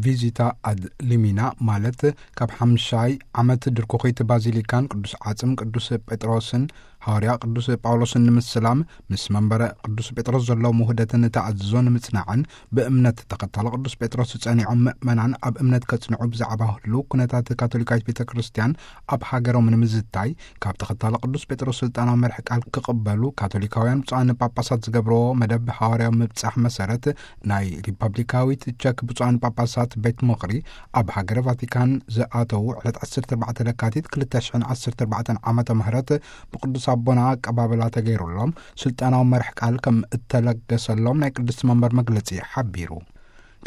ቪዚታ ኣድ ሊሚና፣ ማለት ካብ ሓምሻይ ዓመት ድርኩኺት ባዚሊካን ቅዱስ ዓጽም ቅዱስ ጴጥሮስን ሃዋርያ ቅዱስ ጳውሎስን ንምስላም፣ ምስ መንበረ ቅዱስ ጴጥሮስ ዘለዎም ውህደትን ተኣዝዞ ንምጽናዕን፣ ብእምነት ተኸታሎ ቅዱስ ጴጥሮስ ጸኒዖም ምእመናን ኣብ እምነት ከጽንዑ ብዛዕባ ህሉው ኩነታት ካቶሊካዊት ቤተ ክርስቲያን ኣብ ሃገሮም ንምዝታይ፣ ካብ ተኸታሎ ቅዱስ ጴጥሮስ ስልጣናዊ መርሕ ቃል ክቕበሉ ካቶሊካውያን ብፁዓን ጳጳሳት ዝገብርዎ መደብ ሃዋርያዊ ምብጻሕ መሰረት፣ ናይ ሪፐብሊካዊት ቸክ ብፁዓን ጳጳሳት ቤት ምኽሪ ኣብ ሃገረ ቫቲካን ዝኣተዉ ዕለት ዓሰርተ ኣርባዕተ ለካቲት ክልተ ሽሕን ዓሰርተ ኣርባዕተን ዓመተ ምህረት ብቅዱስ ኣቦና ኣቀባበላ ተገይሩሎም ስልጣናዊ መርሕ ቃል ከም እተለገሰሎም ናይ ቅድስቲ መንበር መግለጺ ሓቢሩ።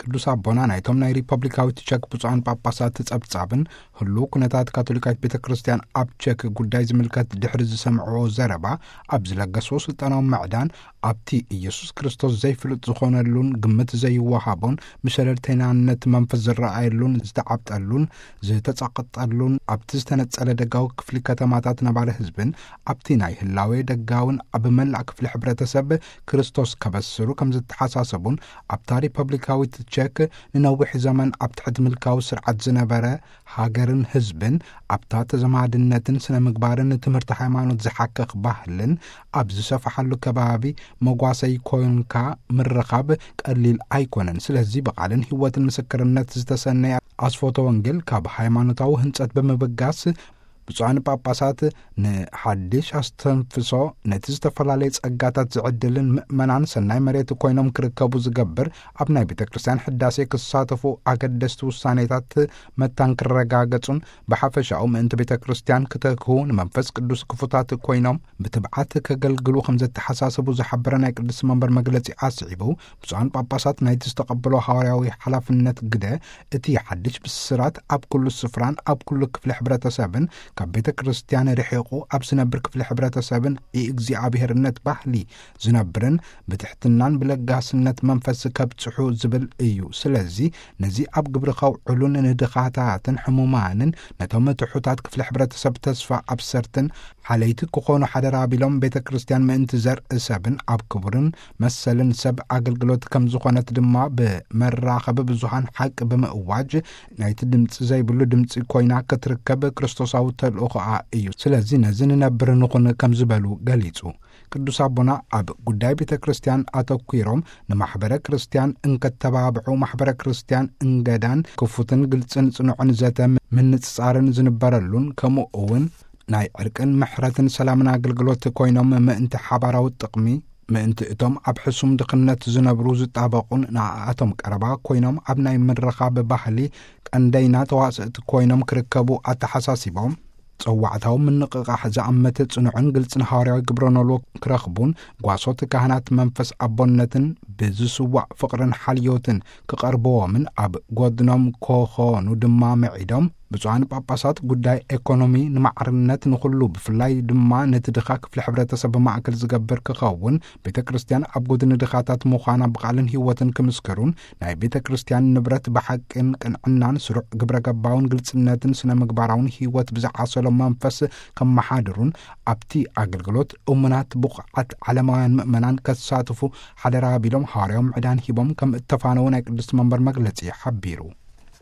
ቅዱስ ኣቦና ናይቶም ናይ ሪፐብሊካዊት ቸክ ብፁዓን ጳጳሳት ጸብጻብን ህሉው ኩነታት ካቶሊካዊት ቤተ ክርስቲያን ኣብ ቸክ ጉዳይ ዝምልከት ድሕሪ ዝሰምዕዎ ዘረባ፣ ኣብ ዝለገስዎ ስልጣናዊ ምዕዳን ኣብቲ ኢየሱስ ክርስቶስ ዘይፍልጥ ዝኾነሉን ግምት ዘይወሃቦን ብሸለልተይናነት መንፈስ ዝረኣየሉን ዝተዓብጠሉን ዝተጸቕጠሉን ኣብቲ ዝተነጸለ ደጋዊ ክፍሊ ከተማታት ነባሪ ህዝብን ኣብቲ ናይ ህላዌ ደጋውን ኣብ መላእ ክፍሊ ሕብረተሰብ ክርስቶስ ከበስሩ ከም ዝተሓሳሰቡን ኣብታ ሪፐብሊካዊት ቸክ ንነዊሕ ዘመን ኣብ ትሕቲ ምልካዊ ስርዓት ዝነበረ ሃገርን ህዝብን ኣብታ ተዘማድነትን ስነ ምግባርን ትምህርቲ ሃይማኖት ዝሓክኽ ባህልን ኣብ ዝሰፍሓሉ ከባቢ መጓሰይ ኮንካ ምርኻብ ቀሊል ኣይኮነን። ስለዚ ብቓልን ህይወትን ምስክርነት ዝተሰነየ ኣስፎተ ወንጌል ካብ ሃይማኖታዊ ህንጸት ብምብጋስ ብፁዓን ጳጳሳት ንሓድሽ ኣስተንፍሶ ነቲ ዝተፈላለየ ጸጋታት ዝዕድልን ምእመናን ሰናይ መሬት ኮይኖም ክርከቡ ዝገብር ኣብ ናይ ቤተ ክርስቲያን ሕዳሴ ክሳተፉ ኣገደስቲ ውሳኔታት መታን ክረጋገጹን ብሓፈሻኡ ምእንቲ ቤተ ክርስቲያን ክተክሁ ንመንፈስ ቅዱስ ክፉታት ኮይኖም ብትብዓት ከገልግሉ ከም ዘተሓሳሰቡ ዝሓበረ ናይ ቅድስቲ መንበር መግለጺ ኣስዒቡ፣ ብፁዓን ጳጳሳት ናይቲ ዝተቐበሎ ሃዋርያዊ ሓላፍነት ግደ እቲ ሓድሽ ብስራት ኣብ ኩሉ ስፍራን ኣብ ኩሉ ክፍሊ ሕብረተሰብን ካብ ቤተ ክርስቲያን ርሒቑ ኣብ ዝነብር ክፍሊ ሕብረተሰብን የእግዚኣብሔርነት ባህሊ ዝነብርን ብትሕትናን ብለጋስነት መንፈስ ከብጽሑ ዝብል እዩ። ስለዚ ነዚ ኣብ ግብሪ ከውዕሉን ንድኻታትን ሕሙማንን ነቶም ትሑታት ክፍሊ ሕብረተሰብ ተስፋ ኣብሰርትን ሓለይቲ ክኾኑ ሓደራ ኣቢሎም ቤተ ክርስቲያን ምእንቲ ዘርኢ ሰብን ኣብ ክቡርን መሰልን ሰብ ኣገልግሎት ከም ዝኾነት ድማ ብመራኸቢ ብዙሃን ሓቂ ብምእዋጅ ናይቲ ድምፂ ዘይብሉ ድምፂ ኮይና ክትርከብ ክርስቶሳዊ ተልእኾኣ እዩ። ስለዚ ነዚ ንነብር ንኹን ከም ዝበሉ ገሊጹ። ቅዱስ ኣቦና ኣብ ጉዳይ ቤተ ክርስቲያን ኣተኲሮም ንማሕበረ ክርስቲያን እንከተባብዑ ማሕበረ ክርስቲያን እንገዳን ክፉትን ግልጽን ጽኑዕን ዘተ ምንጽጻርን ዝንበረሉን ከምኡ እውን ናይ ዕርቅን ምሕረትን ሰላምን ኣገልግሎት ኮይኖም ምእንቲ ሓባራዊ ጥቕሚ ምእንቲ እቶም ኣብ ሕሱም ድኽነት ዝነብሩ ዝጣበቑን ንኣኣቶም ቀረባ ኮይኖም ኣብ ናይ ምርኻብ ባህሊ ቀንደይና ተዋስእቲ ኮይኖም ክርከቡ ኣተሓሳሲቦም፣ ጸዋዕታዊ ምንቕቓሕ ዝኣመተ ጽኑዕን ግልጽን ሃዋርያዊ ግብረ ኖልዎ ክረኽቡን ጓሶት ካህናት መንፈስ ኣቦነትን ብዝስዋዕ ፍቕርን ሓልዮትን ክቐርብዎምን ኣብ ጎድኖም ክኾኑ ድማ ምዒዶም፣ ብፁዓን ጳጳሳት ጉዳይ ኤኮኖሚ ንማዕርነት ንኹሉ ብፍላይ ድማ ነቲ ድኻ ክፍሊ ሕብረተሰብ ማእከል ዝገብር ክኸውን ቤተ ክርስቲያን ኣብ ጎድኒ ድኻታት ምዃና ብቓልን ህይወትን ክምስክሩን ናይ ቤተ ክርስቲያን ንብረት ብሓቅን ቅንዕናን ስሩዕ ግብረ ገባውን ግልጽነትን ስነ ምግባራውን ህይወት ብዝዓሰሎ መንፈስ ከመሓድሩን ኣብቲ ኣገልግሎት እሙናት ብቑዓት ዓለማውያን ምእመናን ከሳትፉ ሓደራ ቢሎም ሃዋርያዊ ምዕዳን ሂቦም ከም እተፋነዉ ናይ ቅድስቲ መንበር መግለጺ ሓቢሩ።